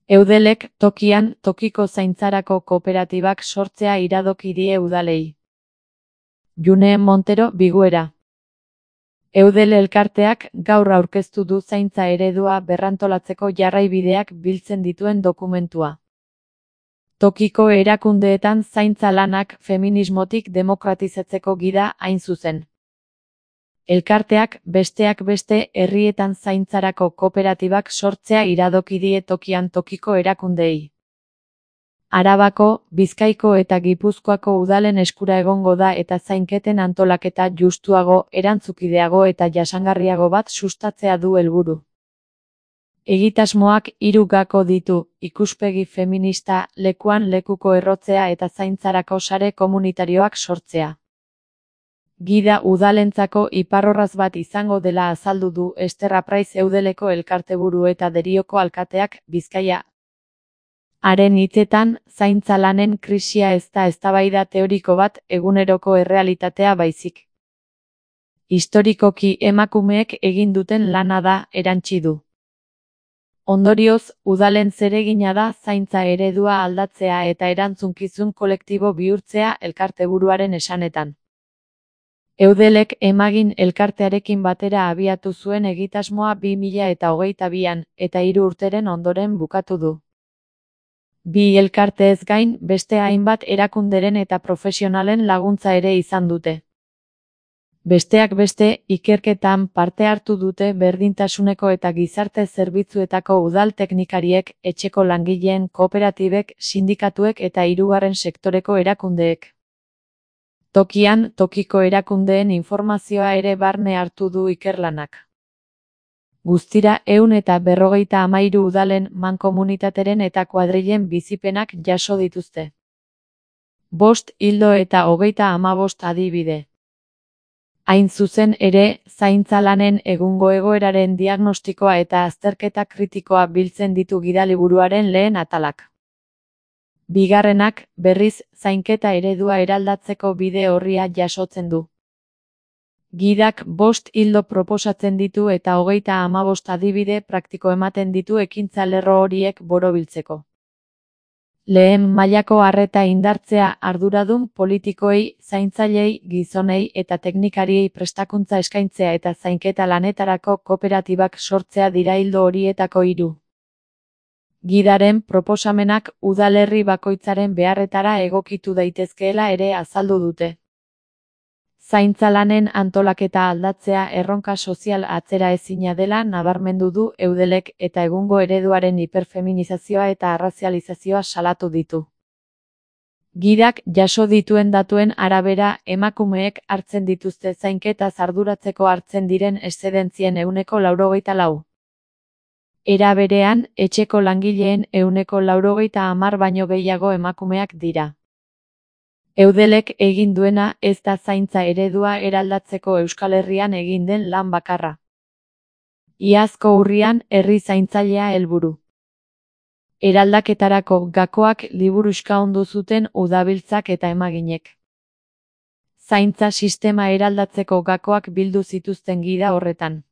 Eudelek tokian tokiko zaintzarako kooperatibak sortzea iradoki die udalei. June Montero Biguera. Eudel elkarteak gaur aurkeztu du zaintza eredua berrantolatzeko jarraibideak biltzen dituen dokumentua. Tokiko erakundeetan zaintza lanak feminismotik demokratizatzeko gida hain zuzen. Elkarteak besteak beste herrietan zaintzarako kooperatibak sortzea iradoki die tokian tokiko erakundeei. Arabako, Bizkaiko eta Gipuzkoako udalen eskura egongo da eta zainketen antolaketa justuago, erantzukideago eta jasangarriago bat sustatzea du helburu. Egitasmoak 3 gako ditu: ikuspegi feminista, lekuan lekuko errotzea eta zaintzarako sare komunitarioak sortzea. Gida udalentzako iparrorratz bat izango dela azaldu du Ester Apraiz Eudeleko elkarteburu eta Derioko alkateak, Bizkaia. Haren hitzetan, zaintza lanen krisia ez da eztabaida teoriko bat, eguneroko errealitatea baizik. Historikoki emakumeek egin duten lana da, erantsi du. Ondorioz, udalen zeregina da zaintza eredua aldatzea eta erantzunkizun kolektibo bihurtzea elkarteburuaren esanetan. Eudelek Emagin elkartearekin batera abiatu zuen egitasmoa 2022an, eta 3 urteren ondoren bukatu du. Bi elkarteez gain, beste hainbat erakunderen eta profesionalen laguntza ere izan dute. Besteak beste, ikerketan parte hartu dute berdintasuneko eta gizarte zerbitzuetako udal teknikariek, etxeko langileen kooperatibek, sindikatuek eta hirugarren sektoreko erakundeek. Tokian tokiko erakundeen informazioa ere barne hartu du ikerlanak. Guztira 153 udalen, mankomunitateren eta kuadrilen bizipenak jaso dituzte. 5 ildo eta 35 adibide. Hain zuzen ere, zaintza lanen egungo egoeraren diagnostikoa eta azterketa kritikoa biltzen ditu gidaliburuaren lehen atalak. Bigarrenak, berriz, zainketa eredua eraldatzeko bide orria jasotzen du. Gidak 5 ildo proposatzen ditu eta 35 adibide praktiko ematen ditu ekintza lerro horiek borobiltzeko. Lehen mailako arreta indartzea arduradun politikoei, zaintzailei, gizonei eta teknikariei prestakuntza eskaintzea eta zainketa lanetarako kooperatibak sortzea dira ildo horietako 3. Gidaren proposamenak udalerri bakoitzaren beharretara egokitu daitezkeela ere azaldu dute. Zaintza lanen antolaketa aldatzea erronka sozial atzeraezina dela nabarmendu du Eudelek eta egungo ereduaren hiperfeminizazioa eta arrazializazioa salatu ditu. Gidak jaso dituen datuen arabera, emakumeek hartzen dituzte zainketaz arduratzeko hartzen diren eszedentzien 94%. Era berean, etxeko langileen 90% baino gehiago emakumeak dira. Eudelek egin duena ez da zaintza eredua eraldatzeko Euskal Herrian egin den lan bakarra. Iazko urrian herri zaintzailea helburu. Eraldaketarako gakoak liburuxka ondu zuten udabiltzak eta emaginek. Zaintza sistema eraldatzeko gakoak bildu zituzten gida horretan.